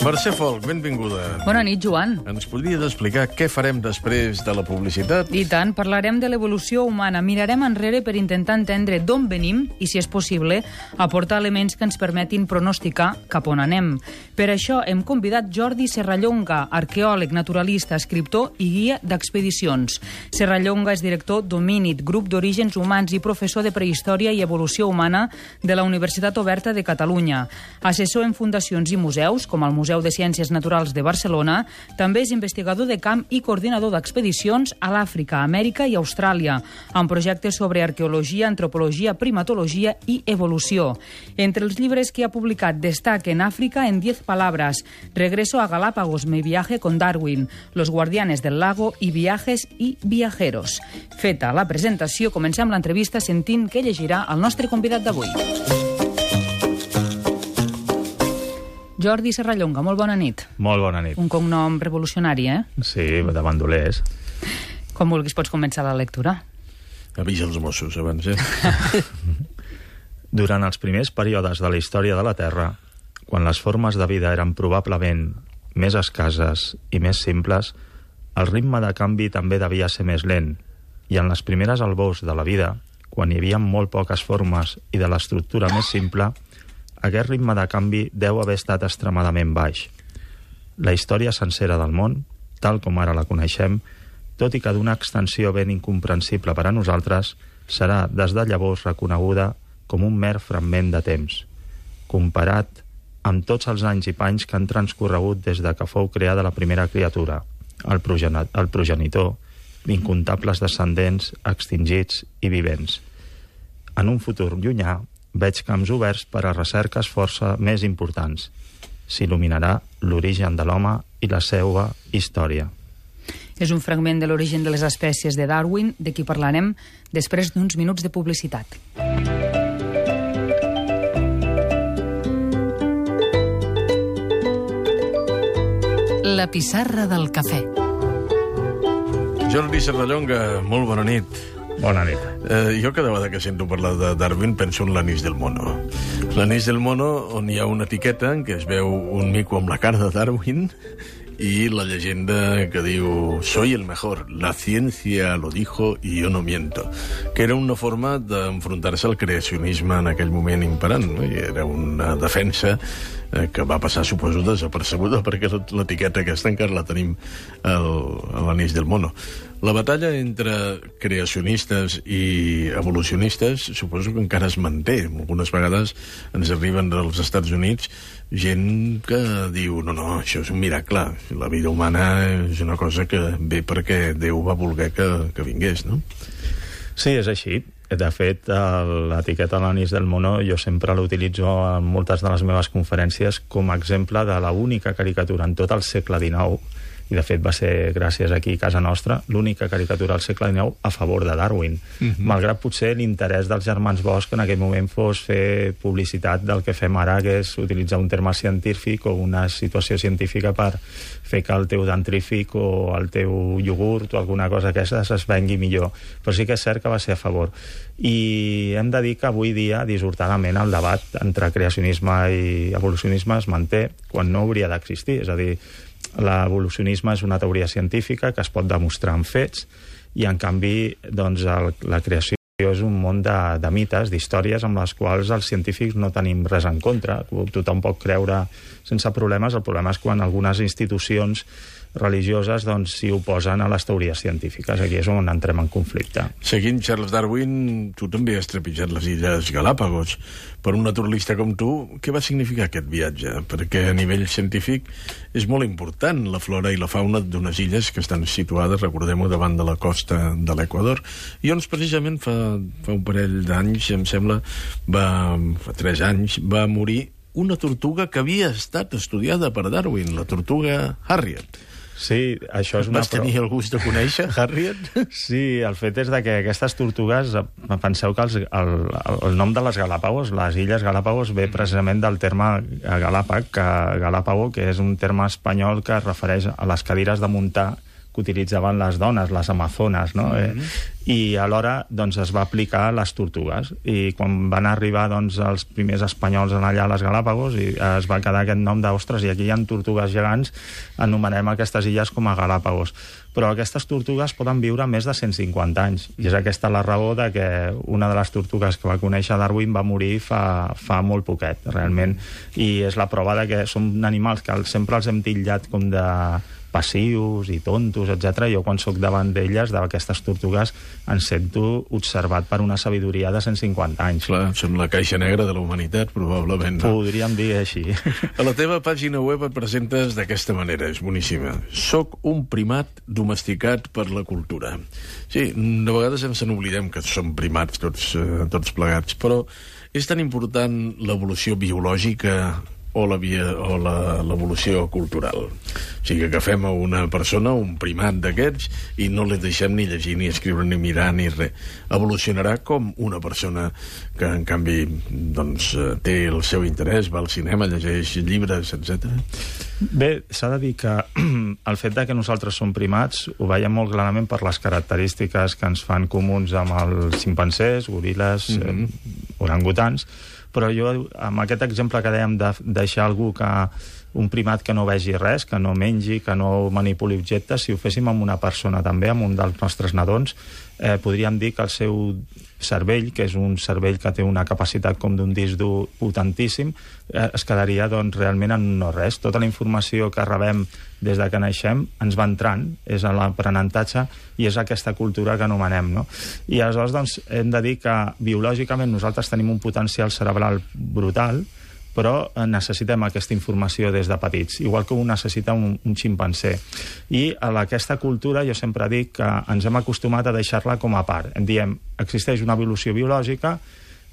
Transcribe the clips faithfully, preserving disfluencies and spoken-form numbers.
Mercè Folk, benvinguda. Bona nit, Joan. Ens podries explicar què farem després de la publicitat? I tant, parlarem de l'evolució humana. Mirarem enrere per intentar entendre d'on venim i, si és possible, aportar elements que ens permetin pronosticar cap on anem. Per això hem convidat Jordi Serrallonga, arqueòleg, naturalista, escriptor i guia d'expedicions. Serrallonga és director d'Homínid, grup d'orígens humans i professor de prehistòria i evolució humana de la Universitat Oberta de Catalunya. Assessor en fundacions i museus, com el Museu de Ciències Naturals de Barcelona, també és investigador de camp i coordinador d'expedicions a l'Àfrica, Amèrica i Austràlia, amb projectes sobre arqueologia, antropologia, primatologia i evolució. Entre els llibres que ha publicat destaquen Àfrica en diez palabras, Regreso a Galápagos, mi viaje con Darwin, Los guardianes del lago i Viajes i viajeros. Feta la presentació, comencem l'entrevista sentint què llegirà el nostre convidat d'avui. Jordi Serrallonga, molt bona nit. Molt bona nit. Un cognom revolucionari, eh? Sí, de bandolers. Com vulguis, pots començar la lectura. Avisa els Mossos abans, eh? Durant els primers períodes de la història de la Terra, quan les formes de vida eren probablement més escasses i més simples, el ritme de canvi també devia ser més lent, i en les primeres albors de la vida, quan hi havia molt poques formes i de l'estructura més simple, aquest ritme de canvi deu haver estat extremadament baix. La història sencera del món, tal com ara la coneixem, tot i que d'una extensió ben incomprensible per a nosaltres, serà des de llavors reconeguda com un mer fragment de temps, comparat amb tots els anys i panys que han transcorregut des de que fou creada la primera criatura, el, progenit, el progenitor, d'incomptables descendents extingits i vivents. En un futur llunyà, veig camps oberts per a recerques força més importants. S'il·luminarà l'origen de l'home i la seva història. És un fragment de l'origen de les espècies de Darwin, de qui parlarem després d'uns minuts de publicitat. La pissarra del cafè. Jordi Serrallonga, molt bona nit. Bona nit. Eh, jo cada vegada que sento parlar de Darwin penso en l'anís del mono. L'anís del mono, on hi ha una etiqueta en què es veu un mico amb la cara de Darwin i la llegenda que diu «Soy el mejor, la ciencia lo dijo y yo no miento», que era una forma d'enfrontar-se al creacionisme en aquell moment imperant, no? I era una defensa eh, que va passar, suposo, desapercebuda, perquè l'etiqueta aquesta encara la tenim a l'anís del mono. La batalla entre creacionistes i evolucionistes suposo que encara es manté. Algunes vegades ens arriben dels Estats Units gent que diu no, no, això és un miracle. La vida humana és una cosa que ve perquè Déu va voler que, que vingués, no? Sí, és així. De fet, l'etiqueta de l'anís del mono jo sempre l'utilitzo en moltes de les meves conferències com a exemple de l'única caricatura en tot el segle dinou, i de fet va ser, gràcies aquí a casa nostra, l'única caricatura al segle dinou a favor de Darwin. Uh-huh. Malgrat potser l'interès dels germans Bosch en aquell moment fos fer publicitat del que fem ara, que és utilitzar un terme científic o una situació científica per fer que el teu dentrífic o el teu iogurt o alguna cosa aquesta es vengui millor. Però sí que és cert que va ser a favor. I hem de dir que avui dia, dissortadament, el debat entre creacionisme i evolucionisme es manté quan no hauria d'existir. És a dir, l'evolucionisme és una teoria científica que es pot demostrar amb fets i, en canvi, doncs, el, la creació és un món de, de mites, d'històries amb les quals els científics no tenim res en contra. Tothom pot creure sense problemes. El problema és quan algunes institucions religioses doncs s'hi oposen a les teories científiques. Aquí és on entrem en conflicte. Seguint Charles Darwin, tu també has trepitjat les Illes Galápagos. Per un naturalista com tu, què va significar aquest viatge? Perquè a nivell científic és molt important la flora i la fauna d'unes illes que estan situades, recordem-ho, davant de la costa de l'Equador. I on precisament fa, fa un parell d'anys, em sembla, va, fa tres anys, va morir una tortuga que havia estat estudiada per Darwin, la tortuga Harriet. Sí, això és una... Vas tenir el gust de conèixer Harriet? Sí, el fet és de que aquestes tortugues, penseu que els, el, el nom de les Galápagos, les Illes Galápagos, ve precisament del terme Galàpag, que Galápago, que és un terme espanyol que es refereix a les cadires de muntar que utilitzaven les dones, les amazones, no? Mm-hmm. eh, i alhora doncs, es va aplicar a les tortugues. I quan van arribar doncs, els primers espanyols allà a les Galàpagos, i es va quedar aquest nom d'ostres, i aquí hi ha tortugues gegants, anomenem aquestes illes com a Galàpagos. Però aquestes tortugues poden viure més de cent cinquanta anys, i és aquesta la raó de que una de les tortugues que va conèixer Darwin va morir fa, fa molt poquet, realment, i és la prova de que són animals que sempre els hem titllat com de passius i tontos, etcètera. Jo, quan sóc davant d'elles, d'aquestes tortugues, em sento observat per una sabidoria de cent cinquanta anys. Clar, som la caixa negra de la humanitat, probablement. No? Podríem dir així. A la teva pàgina web et presentes d'aquesta manera, és boníssima. Soc un primat domesticat per la cultura. Sí, de vegades ens n'oblidem que som primats tots, eh, tots plegats, però és tan important l'evolució biològica o la via, o la, l'evolució cultural. O sigui, que agafem a una persona, un primat d'aquests, i no li deixem ni llegir, ni escriure, ni mirar, ni res. Evolucionarà com una persona que, en canvi, doncs, té el seu interès, va al cinema, llegeix llibres, etcètera. Bé, s'ha de dir que el fet de que nosaltres som primats ho veiem molt clarament per les característiques que ens fan comuns amb els ximpancers, goril·les, mm-hmm. eh, orangutans, però jo, amb aquest exemple que dèiem de deixar algú que un primat que no vegi res, que no mengi, que no manipuli objectes, si ho féssim amb una persona també, amb un dels nostres nadons, eh, podríem dir que el seu cervell, que és un cervell que té una capacitat com d'un disc dur potentíssim, eh, es quedaria doncs, realment en no res. Tota la informació que rebem des de que naixem ens va entrant, és l'aprenentatge i és aquesta cultura que anomenem. No? I aleshores doncs, hem de dir que biològicament nosaltres tenim un potencial cerebral brutal, però necessitem aquesta informació des de petits, igual que ho necessita un, un ximpanzé. I a aquesta cultura jo sempre dic que ens hem acostumat a deixar-la com a part. En diem, existeix una evolució biològica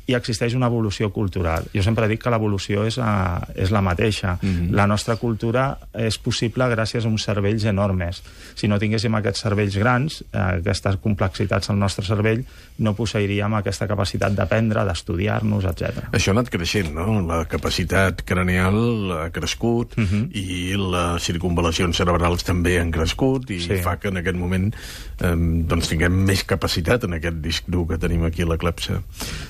i existeix una evolució cultural. Jo sempre dic que l'evolució és, a, és la mateixa. Mm-hmm. La nostra cultura és possible gràcies a uns cervells enormes. Si no tinguéssim aquests cervells grans, eh, aquestes complexitats al nostre cervell, no posseiríem aquesta capacitat d'aprendre, d'estudiar-nos, etcètera. Això ha anat creixent, no? La capacitat craneal ha crescut, mm-hmm. i les circunvalacions cerebrals també han crescut, i sí. fa que en aquest moment eh, doncs tinguem més capacitat en aquest disc dur que tenim aquí a la clepsa.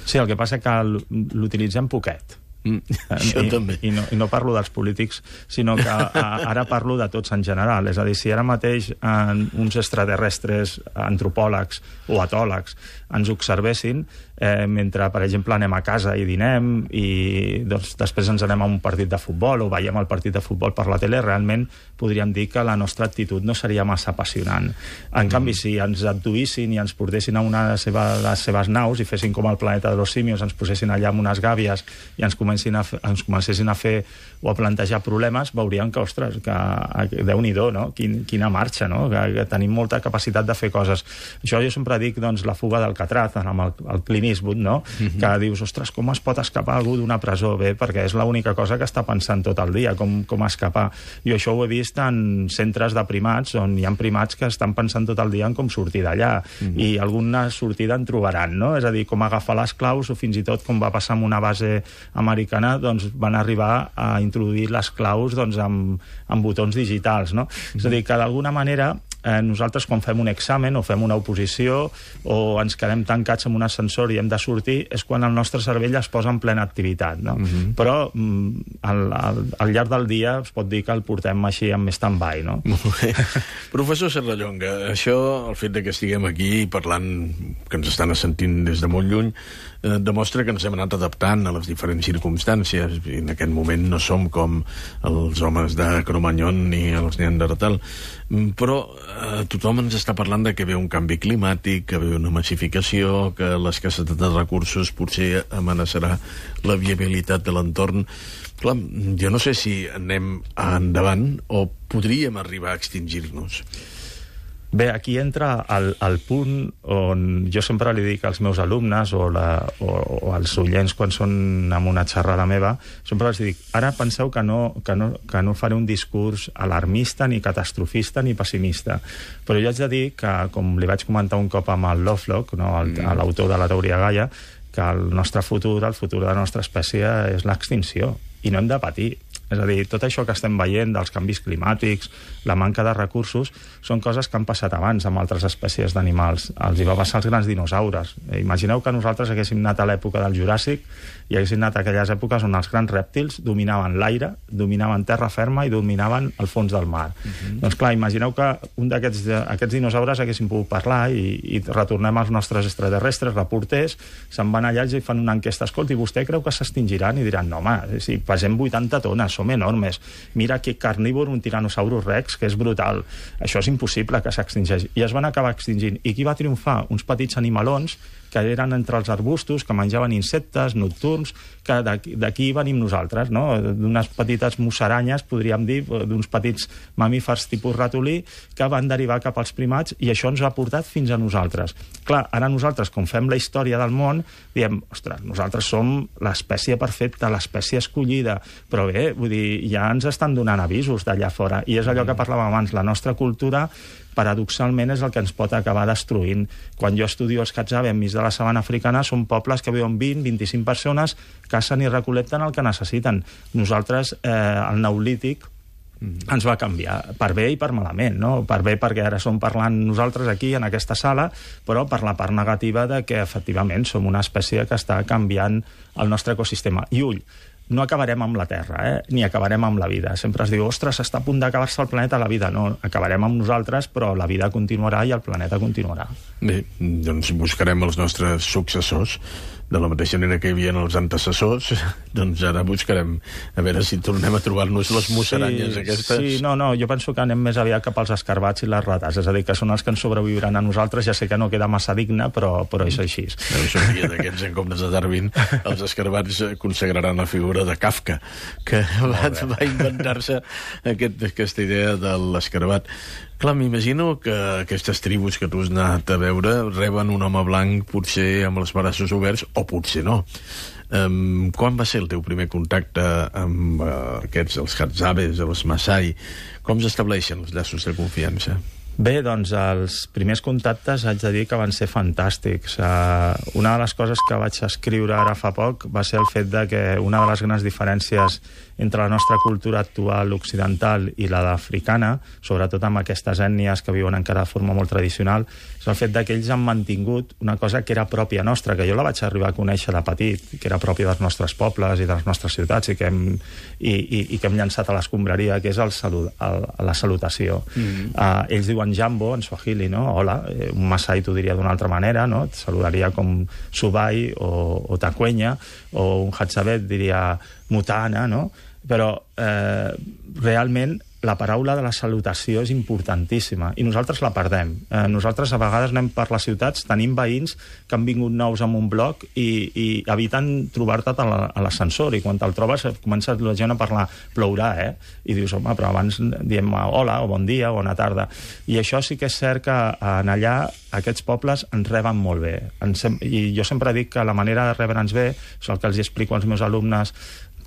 Sí, el que passa que l'utilitzem poquet. Mm, això I, també. I no, I no parlo dels polítics, sinó que a, ara parlo de tots en general. És a dir, si ara mateix en, uns extraterrestres, antropòlegs o etòlegs ens observessin, eh, mentre, per exemple, anem a casa i dinem i doncs, després ens anem a un partit de futbol o veiem el partit de futbol per la tele, realment podríem dir que la nostra actitud no seria massa apassionant. En mm. canvi, si ens abduïssin i ens portessin a una de les seves, les seves naus i fessin com el planeta de los simios, ens posessin allà amb unes gàbies i ens comencin a fer, ens comencessin a fer o a plantejar problemes, veuríem que, ostres, que Déu-n'hi-do, no? Quin, quina marxa, no? Que, que tenim molta capacitat de fer coses. Això jo sempre dic, doncs, la fuga del Catraz, amb el, el Clint Eastwood, no? Mm-hmm. Que dius, ostres, com es pot escapar algú d'una presó? Bé, perquè és l'única cosa que està pensant tot el dia, com, com escapar. Jo això ho he vist en centres de primats, on hi ha primats que estan pensant tot el dia en com sortir d'allà, mm-hmm. i alguna sortida en trobaran, no? És a dir, com agafar les claus, o fins i tot, com va passar amb una base americana, doncs van arribar a introduir les claus doncs, amb, amb botons digitals, no? Mm-hmm. És a dir, que d'alguna manera eh, nosaltres quan fem un examen o fem una oposició o ens quedem tancats en un ascensor i hem de sortir, és quan el nostre cervell es posa en plena activitat, no? Mm-hmm. Però mm, al, al, al llarg del dia es pot dir que el portem així amb stand-by, no? Molt bé. Professor Serrallonga, això, el fet de que estiguem aquí parlant, que ens estan sentint des de molt lluny, eh, demostra que ens hem anat adaptant a les diferents circumstàncies, i en aquest moment no som com els homes de Cro-Magnon ni els Neandertal, però eh, tothom ens està parlant de que ve un canvi climàtic, que ve una massificació, que l'escassetat de recursos potser amenaçarà la viabilitat de l'entorn. Clar, jo no sé si anem endavant o podríem arribar a extingir-nos. Bé, aquí entra el, el punt on jo sempre li dic als meus alumnes o, la, o, o als oients quan són en una xerrada meva, sempre els dic, ara penseu que no, que, no, que no faré un discurs alarmista, ni catastrofista, ni pessimista. Però jo haig de dir que, com li vaig comentar un cop amb el Lovelock, no, l'autor de la teoria Gaia, que el nostre futur, el futur de la nostra espècie és l'extinció, i no hem de patir. És a dir, tot això que estem veient dels canvis climàtics, la manca de recursos, són coses que han passat abans amb altres espècies d'animals. Els hi va passar als grans dinosaures. Imagineu que nosaltres haguéssim anat a l'època del Juràssic i haguéssim anat a aquelles èpoques on els grans rèptils dominaven l'aire, dominaven terra ferma i dominaven el fons del mar. Uh-huh. Doncs clar, imagineu que un d'aquests aquests dinosaures haguessin pogut parlar i, i retornem als nostres extraterrestres, reporters, se'n van allà i fan una enquesta. Escolta, i vostè creu que s'extingiran? I diran, no, home, si pesem vuitanta tones, som enormes. Mira que carnívor, un tiranosaurus rex, que és brutal. Això és impossible que s'extingeix. I es van acabar extingint. I qui va triomfar? Uns petits animalons que eren entre els arbustos, que menjaven insectes nocturns, que d'aquí venim nosaltres, no? D'unes petites musaranyes, podríem dir, d'uns petits mamífers tipus ratolí, que van derivar cap als primats, i això ens ha portat fins a nosaltres. Clar, ara nosaltres, com fem la història del món, diem, ostres, nosaltres som l'espècie perfecta, l'espècie escollida, però bé, vull dir, ja ens estan donant avisos d'allà fora, i és allò que parlàvem abans, la nostra cultura paradoxalment és el que ens pot acabar destruint. Quan jo estudio els Hadzabe enmig de la sabana africana, són pobles que viuen vint a vint-i-cinc persones, cacen i recol·lecten el que necessiten. Nosaltres, eh, el neolític, ens va canviar, per bé i per malament, no? Per bé perquè ara som parlant nosaltres aquí, en aquesta sala, però per la part negativa de que, efectivament, som una espècie que està canviant el nostre ecosistema. I ull, no acabarem amb la Terra, eh? Ni acabarem amb la vida. Sempre es diu, ostres, està a punt d'acabar-se el planeta, la vida. No, acabarem amb nosaltres, però la vida continuarà i el planeta continuarà. Bé, doncs buscarem els nostres successors. De la mateixa manera que hi havia els antecessors, doncs ara buscarem a veure si tornem a trobar-nos les musaranyes sí, aquestes. Sí, no, no, jo penso que anem més aviat cap als escarbats i les rates, és a dir, que són els que ens sobreviuran a nosaltres. Ja sé que no queda massa digne, però, però és així. Deu ser un dia d'aquests en comptes de Darwin, els escarbats consagraran la figura de Kafka, que va, va inventar-se aquest, aquesta idea de l'escarbat. Clar, m'imagino que aquestes tribus que tu has anat a veure reben un home blanc potser amb els braços oberts, o potser no. Um, quan va ser el teu primer contacte amb uh, aquests, els Hadzabes, els Masai? Com s'estableixen els llaços de confiança? Bé, doncs els primers contactes haig de dir que van ser fantàstics. Uh, una de les coses que vaig escriure ara fa poc va ser el fet de que una de les grans diferències entre la nostra cultura actual occidental i la d'africana, sobretot amb aquestes ètnies que viuen encara de forma molt tradicional, és el fet de que ells han mantingut una cosa que era pròpia nostra, que jo la vaig arribar a conèixer de petit, que era pròpia dels nostres pobles i de les nostres ciutats i que hem, i, i, i que hem llançat a l'escombraria, que és el salut, el, la salutació. Mm-hmm. uh, ells diuen jambo en swahili, no? Hola, un masai t'ho diria d'una altra manera, no? Et saludaria com subai o, o tacuenya, o un hatzabet diria mutana, no? Però eh, realment la paraula de la salutació és importantíssima i nosaltres la perdem. Eh, nosaltres a vegades anem per les ciutats, tenim veïns que han vingut nous en un bloc i, i eviten trobar-te a l'ascensor, i quan te'l trobes comença la gent a parlar, plourà, eh? I dius, home, però abans diem hola o bon dia o bona tarda. I això sí que és cert que en allà aquests pobles ens reben molt bé. I jo sempre dic que la manera de rebre'ns bé és el que els explico als meus alumnes.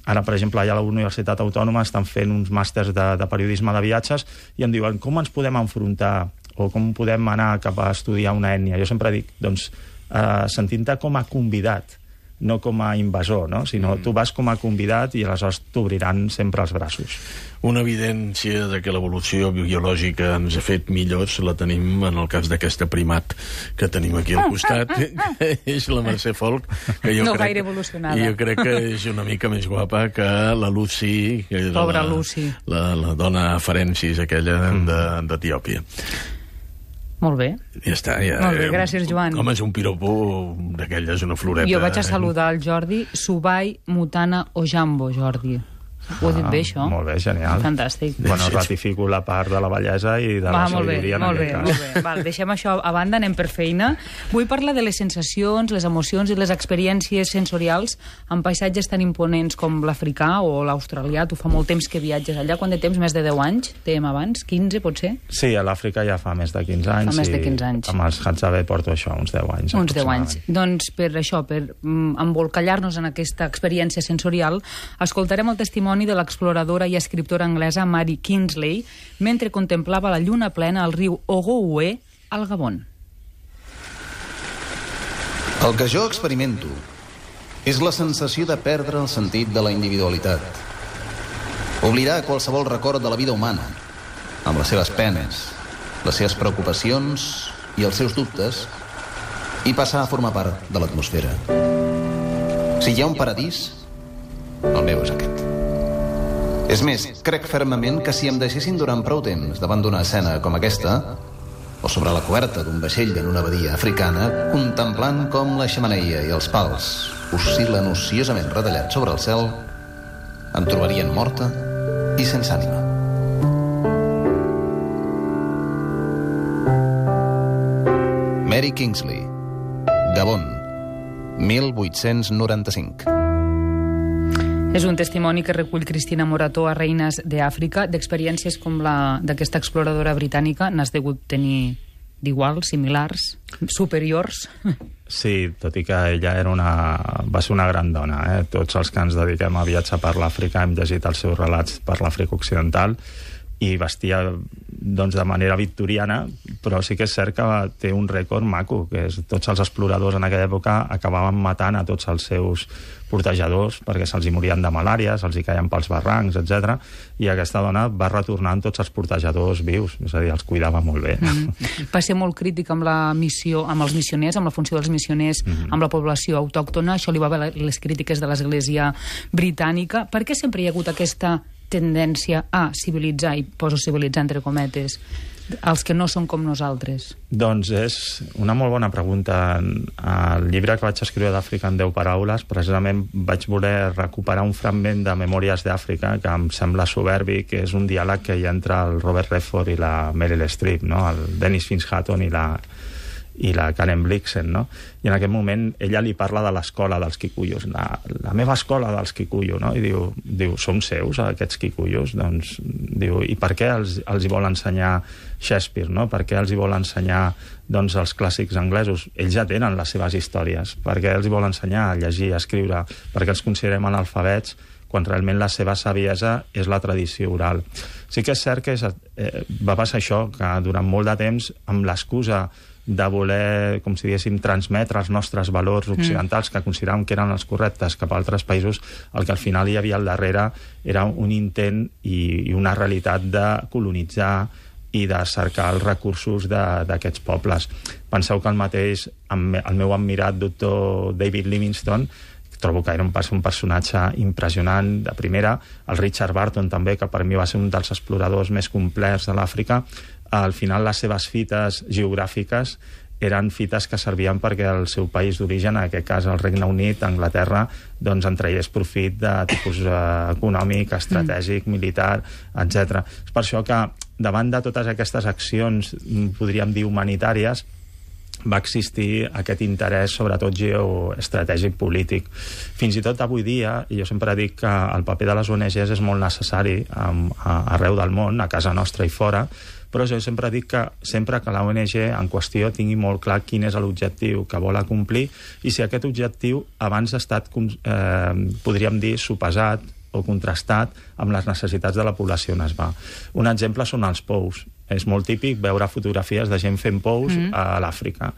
Ara, per exemple, allà a la Universitat Autònoma estan fent uns màsters de, de periodisme de viatges i em diuen com ens podem enfrontar o com podem anar cap a estudiar una ètnia. Jo sempre dic, doncs, eh, sentint-te com a convidat, no com a invasor, no? Sinó mm. tu vas com a convidat i aleshores t'obriran sempre els braços. Una evidència de que l'evolució biològica ens ha fet millors la tenim en el cas d'aquesta primat que tenim aquí al costat, que és la Mercè Folch, que jo no crec, gaire evolucionada. jo crec que és una mica més guapa que la Lucy, que Pobra la, Lucy. La, la dona Ferencis, aquella mm. d'Etiòpia. Molt bé. Ja està. Ja, Molt bé, gràcies, Joan. Home, és un piropo d'aquelles, una floreta. Jo vaig a saludar el Jordi, Subai, Mutana o Jambo, Jordi. Ho he dit bé, això? Molt bé, genial. Fantàstic. Bueno, ratifico la part de la bellesa i de Va, la sabidoria en molt aquest bé, cas. Molt bé, Val, deixem això a banda, anem per feina. Vull parlar de les sensacions, les emocions i les experiències sensorials en paisatges tan imponents com l'africà o l'australià. Tu fa molt temps que viatges allà. Quant de temps? Més de deu anys? Dèiem abans? quinze, potser? Sí, a l'Àfrica ja fa més de quinze anys. Fa més de quinze anys. I amb els Hadzabe porto això, uns deu anys. Uns deu anys. Doncs per això, per mm, embolcallar-nos en aquesta experiència sensorial, escoltarem el testimoni de l'exploradora i escriptora anglesa Mary Kingsley mentre contemplava la lluna plena al riu Ogooué, al Gabon. El que jo experimento és la sensació de perdre el sentit de la individualitat. Oblidar qualsevol record de la vida humana, amb les seves penes, les seves preocupacions i els seus dubtes, i passar a formar part de l'atmosfera. Si hi ha un paradís, el meu és aquest. És més, crec fermament que si em deixessin durant prou temps davant d'una escena com aquesta, o sobre la coberta d'un vaixell en una badia africana, contemplant com la xemeneia i els pals oscil·len ociosament retallats sobre el cel, em trobarien morta i sense ànima. Mary Kingsley, Gabon, mil vuit-cents noranta-cinc. És un testimoni que recull Cristina Morató a Reines d'Àfrica, d'experiències com la d'aquesta exploradora britànica. N'has degut tenir d'iguals, similars, superiors? Sí, tot i que ella era una, va ser una gran dona. Eh? Tots els que ens dediquem a viatjar per l'Àfrica hem llegit els seus relats per l'Àfrica Occidental i vestia doncs, de manera victoriana, però sí que és cert que té un rècord maco, que és tots els exploradors en aquella època acabaven matant a tots els seus portejadors perquè se'ls hi morien de malària, se'ls hi caien pels barrancs, etcètera. I aquesta dona va retornar amb tots els portejadors vius, és a dir, els cuidava molt bé. Mm-hmm. Va ser molt crític amb la missió, amb els missioners, amb la funció dels missioners, mm-hmm. amb la població autòctona. Això li va haver les crítiques de l'Església britànica. Per què sempre hi ha hagut aquesta tendència a civilitzar, i poso civilitzar entre cometes, els que no són com nosaltres? Doncs és una molt bona pregunta. Al llibre que vaig escriure d'Àfrica en deu paraules, precisament vaig voler recuperar un fragment de Memòries d'Àfrica que em sembla soberbi, que és un diàleg que hi ha entre el Robert Redford i la Meryl Streep, no? El Dennis Finch-Hatton i la i la Karen Blixen, no? I en aquest moment ella li parla de l'escola dels quicuyos, la, la meva escola dels quicuyos, no? I diu, diu, som seus, aquests quicuyos? Doncs, diu, i per què els, els hi vol ensenyar Shakespeare, no? Per què els hi vol ensenyar, doncs, els clàssics anglesos? Ells ja tenen les seves històries. Per què els hi vol ensenyar a llegir, a escriure? Per què els considerem analfabets quan realment la seva saviesa és la tradició oral? Sí que és cert que és, eh, va passar això, que durant molt de temps, amb l'excusa de voler, com si diguéssim, transmetre els nostres valors occidentals, mm. que consideràvem que eren els correctes cap a altres països, el que al final hi havia al darrere era un intent i, i una realitat de colonitzar i de cercar els recursos d'aquests pobles. Penseu que el mateix, el meu admirat doctor David Livingstone, trobo que era un, un personatge impressionant de primera, el Richard Barton també, que per mi va ser un dels exploradors més complets de l'Àfrica. Al final les seves fites geogràfiques eren fites que servien perquè el seu país d'origen, en aquest cas el Regne Unit, Anglaterra, doncs en traiés profit de tipus eh, econòmic, estratègic, militar, etcètera. És per això que davant de totes aquestes accions, podríem dir humanitàries, va existir aquest interès, sobretot geoestratègic polític. Fins i tot avui dia, i jo sempre dic que el paper de les O N Ges és molt necessari arreu del món, a casa nostra i fora, però jo sempre dic que sempre que la O N G en qüestió tingui molt clar quin és l'objectiu que vol acomplir i si aquest objectiu abans ha estat, eh, podríem dir, sopesat o contrastat amb les necessitats de la població on es va. Un exemple són els pous. És molt típic veure fotografies de gent fent pous mm. a l'Àfrica.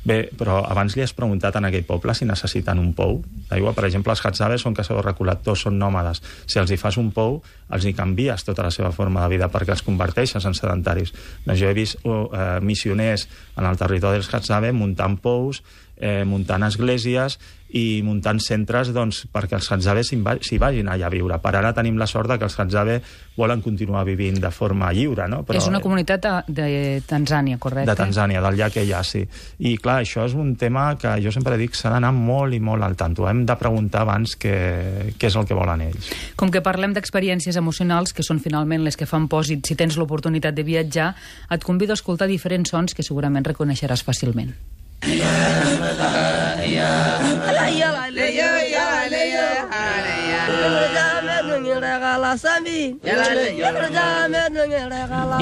Bé, però abans li has preguntat en aquell poble si necessiten un pou d'aigua. Per exemple, els Hadzaves són caçadors-recol·lectors, són nòmades. Si els hi fas un pou, els hi canvies tota la seva forma de vida perquè els converteixes en sedentaris. Doncs jo he vist oh, eh, missioners en el territori dels Hadzaves muntant pous, eh, muntant esglésies i muntant centres doncs, perquè els Hadzaves s'hi vagin allà a viure. Per ara tenim la sort que els Hadzaves volen continuar vivint de forma lliure, no? Però, és una comunitat de, de Tanzània, correcte? De Tanzània, del llac Eyasi. I clar, això és un tema que jo sempre dic s'ha d'anar molt i molt al tanto. Hem de preguntar abans què, què és el que volen ells. Com que parlem d'experiències emocionals, que són finalment les que fan pòsit si tens l'oportunitat de viatjar, et convido a escoltar diferents sons que segurament reconeixeràs fàcilment. Ja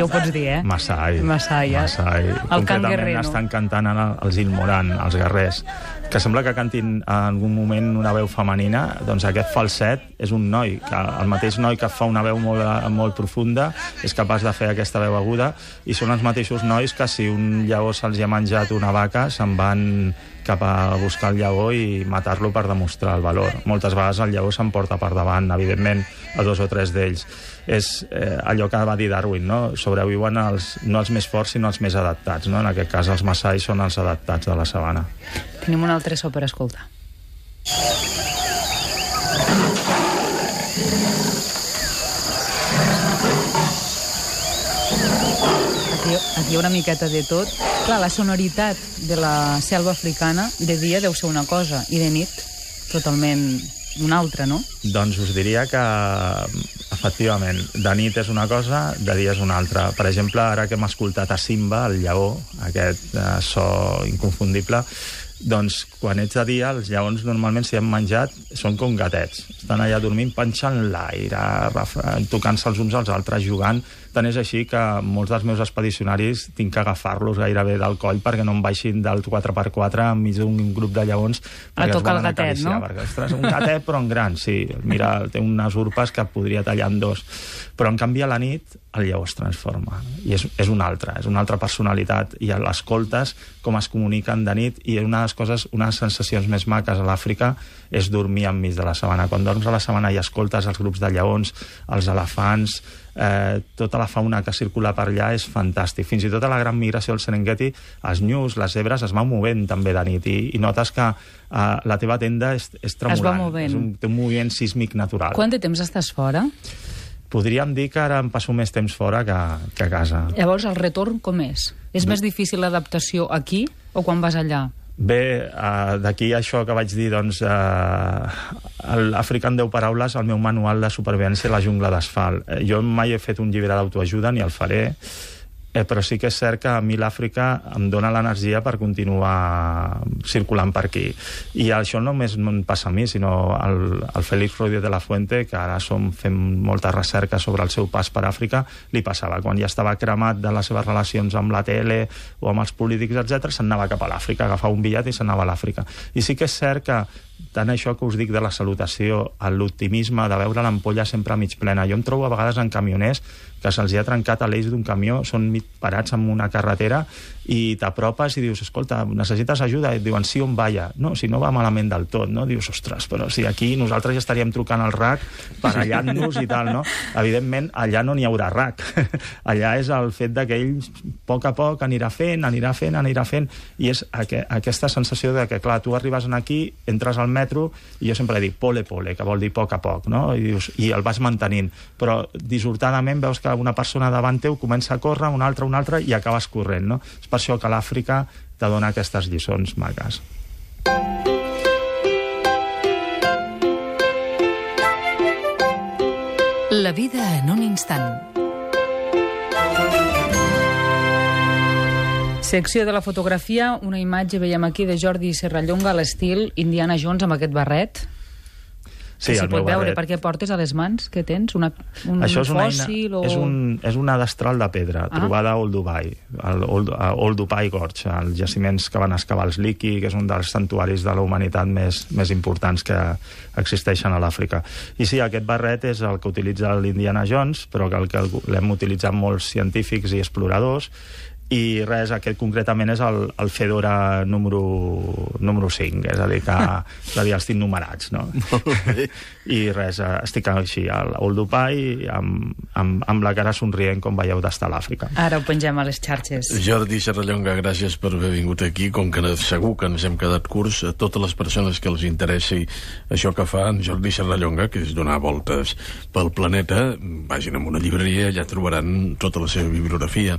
ho pots dir, eh? Masai. Masai, eh? Masai. El cant guerrer, no? Estan cantant els Ilmoran, els guerrers, que sembla que cantin en algun moment una veu femenina. Doncs aquest falset és un noi, que el mateix noi que fa una veu molt, molt profunda és capaç de fer aquesta veu aguda, i són els mateixos nois que si un lleó se'ls ha menjat una vaca se'n van cap a buscar el lleó i matar-lo per demostrar el valor. Moltes vegades el lleó s'emporta per davant, evidentment. solament a dos o tres d'ells. És eh, allò que va dir Darwin, no? Sobreviuen els, no els més forts, sinó els més adaptats, no? En aquest cas, els massais són els adaptats de la sabana. Tenim un altre so per escoltar. Aquí, aquí hi ha una miqueta de tot. Clar, la sonoritat de la selva africana de dia deu ser una cosa i de nit totalment una altra, no? Doncs us diria que, efectivament, de nit és una cosa, de dia és una altra. Per exemple, ara que hem escoltat a Simba, el lleó, aquest eh, so inconfundible, doncs quan ets de dia, els lleons normalment, si han menjat, són com gatets. Estan allà dormint, panxant l'aire, tocant-se els uns als altres, jugant. Tant és així que molts dels meus expedicionaris tinc que agafar-los gairebé del coll perquè no em baixin del quatre per quatre enmig d'un grup de lleons. A tocar el gatet, no? Perquè, ostres, un gatet però en gran, sí. Mira, té unes urpes que podria tallar en dos. Però en canvi a la nit el lleó es transforma i és, és una altra, és una altra personalitat, i l'escoltes com es comuniquen de nit, i una de les coses, una de les sensacions més maques a l'Àfrica és dormir enmig de la sabana. Quan dorms a la sabana i escoltes els grups de lleons, els elefants, eh, tota la fauna que circula per allà és fantàstic. Fins i tot a la gran migració del Serengeti, els nyus, les zebres es van movent també de nit, i, i notes que eh, la teva tenda és, és tremolant. Es va movent. És un, té un moviment sísmic natural. Quant de temps estàs fora? Podríem dir que ara em passo més temps fora que, que a casa. Llavors, el retorn com és? És més difícil l'adaptació aquí o quan vas allà? Bé, uh, d'aquí això que vaig dir, doncs, uh, l'Àfrica en deu paraules, el meu manual de supervivència a la jungla d'asfalt. Uh, jo mai he fet un llibre d'autoajuda, ni el faré, eh, però sí que és cert que a mi l'Àfrica em dona l'energia per continuar circulant per aquí. I això no només em passa a mi, sinó al, al Félix Rodríguez de la Fuente, que ara som fent molta recerca sobre el seu pas per Àfrica, li passava. Quan ja estava cremat de les seves relacions amb la tele o amb els polítics, etcètera, se'n anava cap a l'Àfrica, agafava un bitllet i se'n anava a l'Àfrica. I sí que és cert que tant això que us dic de la salutació, l'optimisme, de veure l'ampolla sempre mig plena. Jo em trobo a vegades en camioners que se'ls ha trencat a l'eix d'un camió, són mig parats en una carretera i t'apropes i dius, escolta, necessites ajuda? I et diuen, sí, on vaya? No, si no va malament del tot, no? Dius, ostres, però si aquí nosaltres ja estaríem trucant al R A C, barallant-nos i tal, no? Evidentment, allà no n'hi haurà R A C. Allà és el fet que ell, a poc a poc, anirà fent, anirà fent, anirà fent, i és aqu aquesta sensació de que, clar, tu arribes aquí, entres al metro, i jo sempre dic pole pole, que vol dir poc a poc, no? I, dius, i el vas mantenint. Però dissortadament veus que una persona davant teu comença a córrer, una altra, una altra, i acabes corrent, no? És per això que l'Àfrica te dona aquestes lliçons maques. La vida en un instant. Secció de la fotografia, una imatge veiem aquí de Jordi Serrallonga a l'estil Indiana Jones amb aquest barret. Sí, que s'hi pot veure, barret. perquè portes a les mans, què tens? Una, un Això és una, fòssil eina, o... és, un, és una destral de pedra, ah. trobada a Old Dubai, al Old, a Old Dubai Gorge, els jaciments que van excavar els Liki, que és un dels santuaris de la humanitat més, més importants que existeixen a l'Àfrica. I sí, aquest barret és el que utilitza l'Indiana Jones, però que el que l'hem utilitzat molts científics i exploradors, i res, aquest concretament és el, el Fedora número, número cinc, és a dir, que és a dir, els tinc numerats, no? I res, estic així al Old Dubai amb, amb, amb la cara somrient, com veieu, d'estar a l'Àfrica. Ara ho pengem a les xarxes. Jordi Serrallonga, gràcies per haver vingut aquí. Com que segur que ens hem quedat curts, a totes les persones que els interessi això que fa en Jordi Serrallonga, que és donar voltes pel planeta, vagin a una llibreria, allà trobaran tota la seva bibliografia.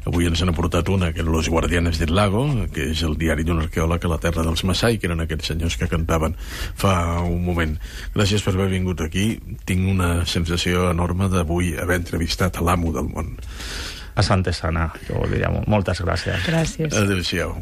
Avui ens han portat una, que és Los Guardianes del Lago, que és el diari d'un arqueòleg a la terra dels Massai, que eren aquests senyors que cantaven fa un moment. Gràcies per haver vingut aquí. Tinc una sensació enorme d'avui haver entrevistat a l'amo del món. Asante sana, que vol dir. Moltes gràcies. Gràcies. Adéu-siau.